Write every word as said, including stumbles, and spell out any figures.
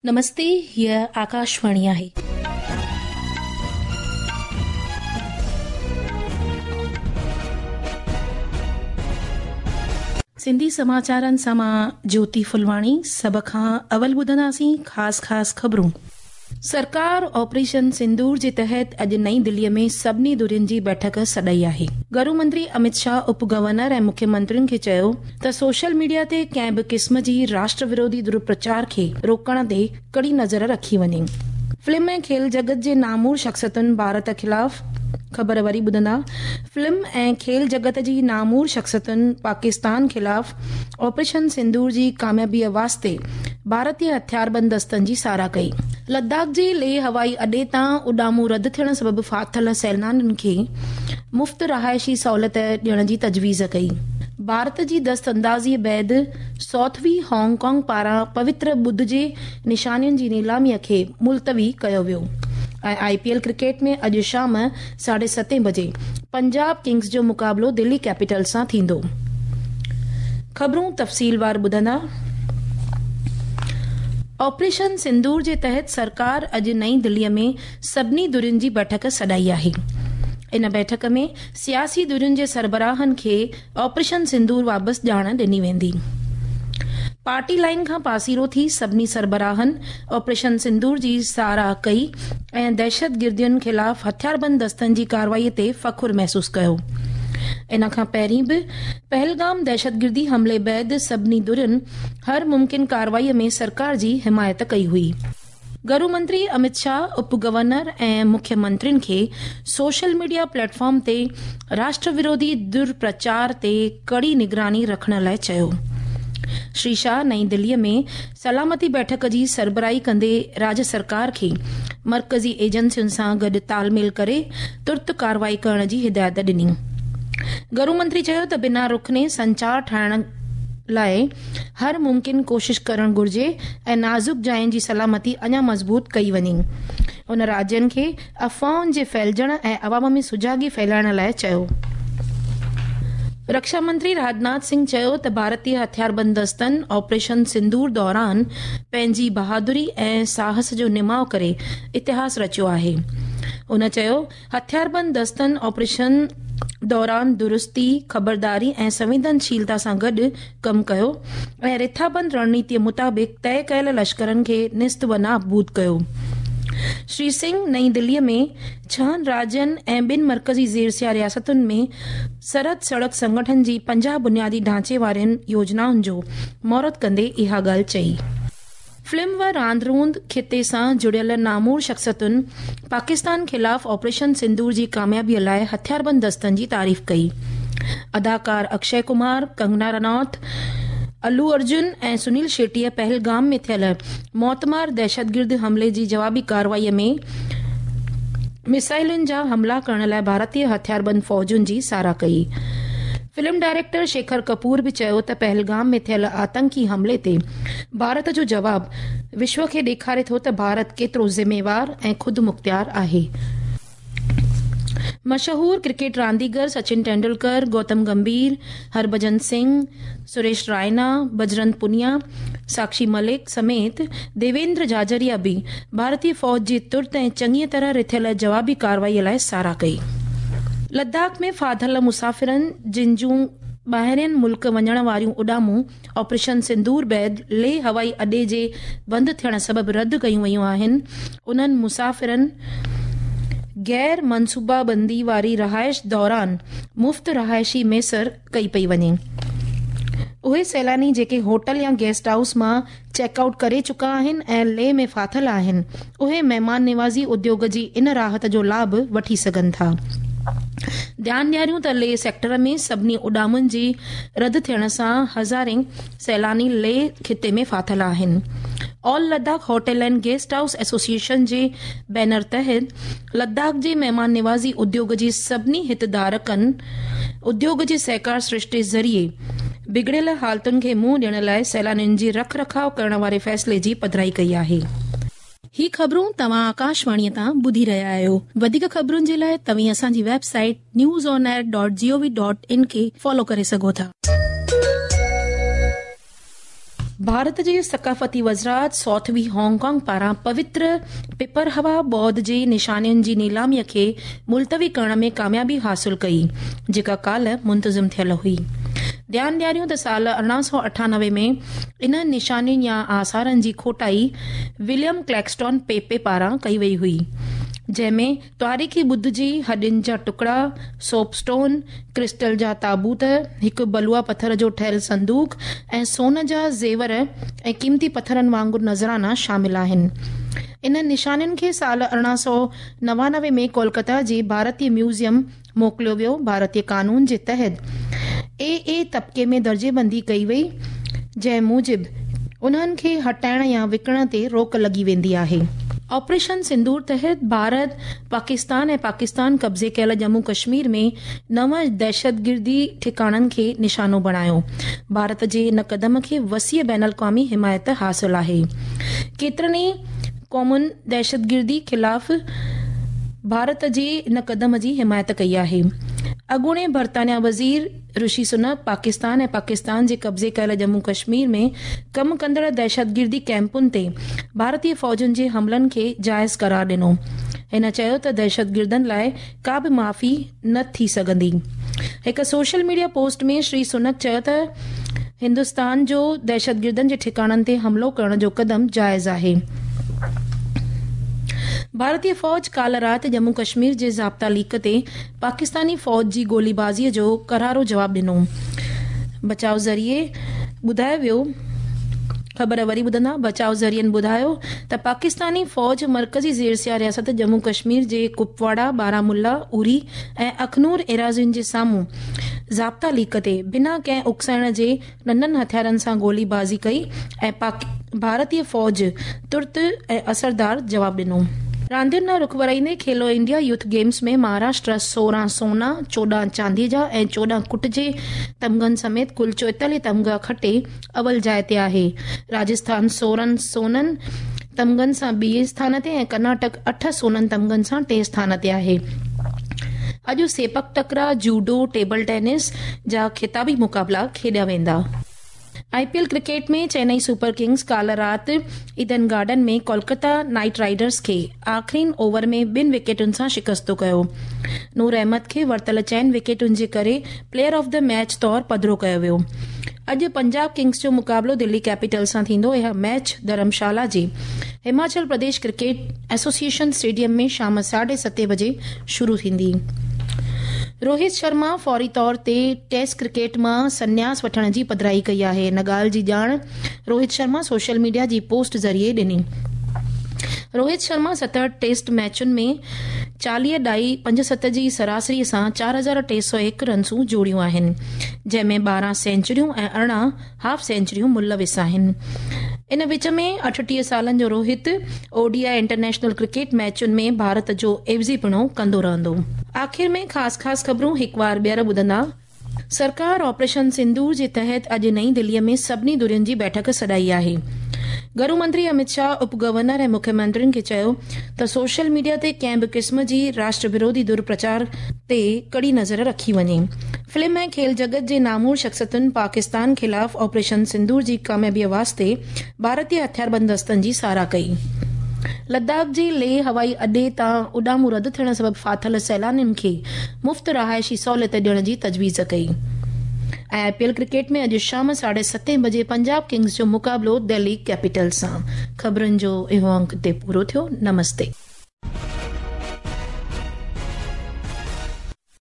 नमस्ते, हीअ आकाशवाणी आहे. सिंधी समाचारनि सां मां ज्योति फुलवाणी। सभ खां अवल ॿुधंदासीं ख़ासि ख़ासि ख़बरूं। सरकार ऑपरेशन सिंदूर जे तहत अॼु नई दिल्लीअ में सभिनी धुरियुनि जी बैठक सॾाई आहे। गृह मंत्री अमित शाह उप गवर्नर ऐं मुख्यमंत्रियुनि खे चयो त सोशल मीडिया ते कंहिं बि क़िस्म जी राष्ट्र विरोधी दुरुप्रचार खे रोकण ते कड़ी नज़र रखी वञे। फिल्म ऐं खेल जगत जे नामूर शख़्सियतुनि भारत ख़िलाफ़ ख़बर वरी ॿुधंदा। फिल्म ऐं खेल जगत जी नामूर शख़्सियतुनि पाकिस्तान ख़िलाफ़ ऑपरेशन सिंदूर जी कामयाबीअ वास्ते भारतीय हथियारबंद दस्तनि जी सराह कई। लद्दाख जे लेह हवाई अॾे तां उॾामूं रद्द थियण सबबु फाथल सैलानियुनि खे मुफ़्त रहाइशी सहूलियत ॾियण जी तजवीज़ कई। भारत जी दस्त अंदाज़ीअ बाद सौथवी हांगकांग पारां पवित्र ॿुध जे निशानियुनि जी नीलामीअ खे मुलतवी कयो वियो। ऐं I P L cricket में अॼु शाम साढे सतें बजे पंजाब किंग्स जो मुक़ाबिलो दिल्ली कैपिटल सां थींदो। ख़बरूं तफ़सीलवार ॿुधंदा। ऑपरेशन सिंदूर जे तहत सरकार अॼु नई दिल्लीअ में सभिनी धुरियुनि जी बैठक सॾाई आहे। इन बैठक में सियासी धुरियुनि जे सरबराहनि खे ऑपरेशन सिंदूर बाबति ॼाण ॾिनी वेंदी। पार्टी लाइन खां पासीरो थी सभिनी सरबराहनि ऑपरेशन सिंदूर जी सराह कई ऐं दहशतगिर्दियुनि ख़िलाफ़ हथियारबंद दस्तनि जी कार्रवाई ते फ़ख्र महसूसु कयो। इन खां पहिरीं बि पहलगाम दहशतगिर्दी हमले बाद सभिनी धुरियुनि हर मुमकिन कार्रवाई में सरकार जी हिमायत कई हुई। गृह मंत्री अमित शाह उप गवर्नर ऐं मुख्यमंत्रियुनि खे सोशल मीडिया प्लेटफॉर्म ते राष्ट्र विरोधी दुष्प्रचार ते कड़ी निगरानी रखण लाइ चयो। श्री शाह नई दिल्लीअ में सलामती बैठक जी सरबराही कंदे राज्य सरकार खे मर्कज़ी एजेंसियुनि सां गॾु तालमेल करे तुर्त कार्रवाई करण जी हिदायत ॾिनी। गृह मंत्री चयो त बिना रुखने संचार ठाहिण लाइ हर मुमकिन कोशिश करण घुर्जे ऐं नाज़ुक जाइनि जी सलामती अञा मज़बूत कई वञे। उन राज्यनि खे अफ़वाहुनि जे फैलिजण ऐं अवाम में सुजागी फैलाइण लाइ चयो। रक्षा मंत्री राजनाथ सिंह चयो त भारतीय हथियारबंद दस्तनि ऑपरेशन सिंदूर दौरान पंहिंजी बहादुरी ऐं साहस जो निमाव करे इतिहास रचियो आहे। उन चयो हथियारबंद दस्तनि ऑपरेशन दौरान दुरुस्ती, ख़बरदारी ऐं संवेदनशीलता सां गॾु कमु कयो ऐं रिथाबंद रणनीतीअ मुताबिक़ तय कयल लश्करनि खे निस्त व नाबूद कयो। श्री सिंह नई दिल्लीअ में छहनि राज्यनि ऐं ॿिनि मर्कज़ी ज़ेरसिया रियासतुनि में सरहद सड़क संगठन जी पंजाह बुनियादी ढांचे वारियुनि योजनाउनि जो मुहूर्त कंदे इहा ॻाल्हि चई। फिल्म व रांदि रूंद खिते सां जुड़ियल नामूर शख़्सियतुनि पाकिस्तान ख़िलाफ़ ऑपरेशन सिंदूर जी कामयाबीअ लाइ हथियारबंद दस्तनि जी तारीफ़ कई। अदाकार अक्षय कुमार, कंगना रनौत, अल्लू अर्जुन ऐं सुनील शेट्टीअ पहलगाम में थियल मौतमार दहशतगिर्द हमले जी जवाबी कार्रवाईअ में मिसाइलुनि जा हमला करण लाइ भारतीय हथियारबंद फ़ौजुनि जी सराह कई। फिल्म डायरेक्टर शेखर कपूर बि चयो त पहलगाम में थियल आतंकी हमले ते भारत जो जवाब विश्व खे ॾेखारे थो त भारत केतिरो ज़िम्मेवार ऐं ख़ुदि मुख़्तियार आहे। मशहूर क्रिकेट रांदीगर सचिन तेंदुलकर, गौतम गंभीर, हरभजन सिंह, सुरेश रायना, बजरंग पुनिया, साक्षी मलिक समेत देवेंद्र झाझरिया बि भारतीय फ़ौज जी तुर्त ऐं चङीअ तरह रिथियल जवाबी कार्रवाईअ लाइ सराह कई। लद्दाख में फाथल मुसाफ़िरनि जिन जूं ॿाहिरियनि मुल्क वञण वारियूं उॾामूं ऑपरेशन सिंदूर बाद लेह हवाई अॾे जे बंदि थियण सबबु रद्द कयूं वयूं आहिनि, उन्हनि मुसाफ़िरनि गैर मनसूबाबंदी वारी रहाइश दौरान मुफ़्त रहाइशी मयसर कई पई वञे। उहे सैलानी जेके होटल या गेस्ट हाउस मां चेकआउट करे चुका आहिनि ऐं लेह में फाथल आहिनि, उहे महिमान निवाज़ी उद्योग जी इन राहत जो लाभ वठी सघनि था। ध्यानु ॾियारियूं त लेह सेक्टर में सभिनी उॾामुनि जी रद्द थियण सां हज़ारें सैलानी लेह खिते में फाथल आहिनि। All Ladakh hotel and guest house association J banner तहत लद्दाख जे महिमान निवाज़ी उद्योग जी सभिनी हितधारकनि उद्योग जे सहकार सृष्टि ज़रिए बिगड़ियल हालतुनि खे मुंहुं ॾियण लाइ सैलानियुनि जी रख रखाव करण वारे फ़ैसिले जी पधराई कई आहे। ही ख़बरूं तव्हां आकाशवाणीअ तां ॿुधी रहिया आहियो। वधीक ख़बरुनि जे लाइ तव्हीं असांजी website news on air dot G O V dot in खे फॉलो करे सघो था। भारत जे सकाफ़ती वज़ारत सॉथबी हांगकांग पारां पवित्र पिपरहवा बौद्ध जे निशानियुनि जी नीलामीअ खे मुलतवी करण में कामयाबी हासिल कई, जेका काल्ह मुंतज़िम थियल हुई। ध्यानु ॾियारियूं त साल अरिड़हं सौ अठानवे में इन्हनि निशानियुनि या आसारनि जी खोटाई विलियम क्लैक्सटॉन पेपे पारां कई वई हुई, जंहिंमें तारीख़ी ॿुध जी हॾियुनि जा टुकड़ा, सोपस्टोन, क्रिस्टल जा ताबूत, हिकु बलुआ पथर जो ठहियल संदूक ऐं सोन जा ज़ेवर ऐं क़ीमती पथरनि वांगुरु नज़राना शामिल आहिनि। इन्हनि निशानियुनि खे साल अरिड़हं सौ नवानवे में कोलकाता जे भारतीय म्यूज़ियम मोकिलियो वियो। भारतीय कानून जे तहत ए ए तबके में दर्जेबंदी कई वई, जंहिं मूजिबि उन्हनि खे हटाइण या विकिणण ते रोक लॻी वेंदी आहे। ऑपरेशन सिंदूर तहत भारत, पाकिस्तान ऐं पाकिस्तान कब्ज़े कयल जम्मू कश्मीर में नव दहशतगिर्दी ठिकाणनि खे निशानो बणायो। भारत जे इन कदम खे वसीअ बैन अल-अक़वामी हिमायत हासिल आहे। केतिरनि ई क़ौमुनि दहशतगिर्दी ख़िलाफ़ भारत जे इन कदम जी हिमायत कई आहे। अॻूणे बर्तानिया वज़ीर ऋषि सुनक पाकिस्तान ऐं पाकिस्तान जे कब्ज़े कयल जम्मू कश्मीर में कमु कंदड़ दहशतगिर्दी कैंपुनि ते भारतीय फ़ौजुनि जे हमलनि खे जाइज़ करार ॾिनो। हिन चयो त दहशतगिर्दनि लाइ का बि माफ़ी न थी सघंदी। हिकु सोशल मीडिया पोस्ट में श्री सुनक चयो त हिंदुस्तान जो दहशतगिर्दनि जे ठिकाणनि ते हमलो करण जो कदम जाइज़ आहे। भारतीय फ़ौज काल्ह राति जम्मू कश्मीर जे ज़ाब्ता लीक ते पाकिस्तानी फ़ौज जी गोलीबाज़ीअ जो करारो जवाब ॾिनो। बचाव ज़रिए ॿुधायो वियो, ख़बर वरी ॿुधंदा। बचाव ज़रियनि ॿुधायो त पाकिस्तानी फ़ौज मर्कज़ी ज़ेरसिया रियासत जम्मू कश्मीर जे कुपवाड़ा, बारामुल्ला, उरी ऐं अखनूर एराज़ियुनि जे साम्हूं ज़ाब्ता लीक ते बिना कंहिं उकसाइण जे नंढनि हथियारनि सां गोलीबाज़ी कई ऐं भारतीय फ़ौज तुर्त ऐं असरदार जवाब ॾिनो। रांदियुनि ॾांहुं रुख वराईंदे Khelo India youth games में महाराष्ट्र सोरहं सोना, चोॾहं चांदीअ जा ऐं चोॾहं कुट जे तमगनि समेत कुल चोएतालीह तमगा खटे अवल जाइ ते आहे। राजस्थान सोरहं सोननि तमगनि सां ॿिए स्थान ते ऐं कर्नाटक अठ सोननि तमगनि सां टे स्थान ते आहे। अॼु सेपक टकरा, जूडो, टेबल टेनिस जा ख़िताबी मुक़ाबला खेॾिया वेंदा। I P L cricket में चेन्नई सुपर किंग्स काल्ह राति ईडन गार्डन में कोलकाता नाइट राइडर्स खे आख़िरीन ओवर में ॿिनि विकेटुनि सां शिकस्तो कयो। नूर अहमद खे वरितल चइनि विकेटुनि जे करे प्लेयर ऑफ the match तौर पधिरो कयो वियो। अॼु पंजाब किंग्स जो मुक़ाबलो दिल्ली कैपिटल सां थींदो। इहा मैच धर्मशाला जे Himachal Pradesh cricket association stadium में शाम साढे सते बजे शुरू थींदी। रोहित शर्मा फौरी तौर ते टेस्ट क्रिकेट मां संन्यास वठण जी पधराई कई आहे। इन ॻाल्हि जी ॼाण रोहित शर्मा सोशल मीडिया जी पोस्ट ज़रिए ॾिनी। रोहित शर्मा सतहठि टेस्ट मैचुनि में चालीह ॾाई पंज सत जी सरासरीअ सां चारि हज़ार टे सौ हिकु रनसूं जोड़ियूं आहिनि, जंहिंमें ॿारहं सेंचुरियूं ऐं अरिड़हं हाफ सेंचुरियूं मुलविस आहिनि। इन विच में अठटीह सालनि जो Rohit O D I international cricket मैचुनि में भारत जो एवज़ीपणो कंदो रहंदो। आख़िर में ख़ासि ख़ासि ख़बरूं हिकु वार ॿीहर ॿुधंदा। सरकार ऑपरेशन सिंदूर जे तहत अॼु नई दिल्लीअ में सभिनी धुरियुनि जी बैठक सॾाई आहे। गृह मंत्री अमित शाह उप गवर्नर ऐं मुख्यमंत्रियुनि खे चयो त सोशल मीडिया ते कंहिं बि क़िस्म जी राष्ट्र विरोधी दुर्प्रचार ते कड़ी नज़र रखी वञे। फिल्म ऐं खेल जगत जे नामूर शख़्सियतुनि पाकिस्तान ख़िलाफ़ ऑपरेशन सिंदूर जी कामयाबीअ वास्ते भारतीय हथियारबंद दस्तनि जी सराह कई। लद्दाख जे लेह हवाई अॾे तां उॾामूं रद्द थियण सबबि फाथल सैलानियुनि खे मुफ़्त रहाइशी सहूलियत ॾियण जी तजवीज़ कई। ऐं I P L cricket में अॼु शाम साढे सते बजे पंजाब किंग्स जो मुक़ाबलो दिल्ली कैपिटल सां। ख़बरुनि जो इहो अंक ते पूरो थियो। नमस्ते।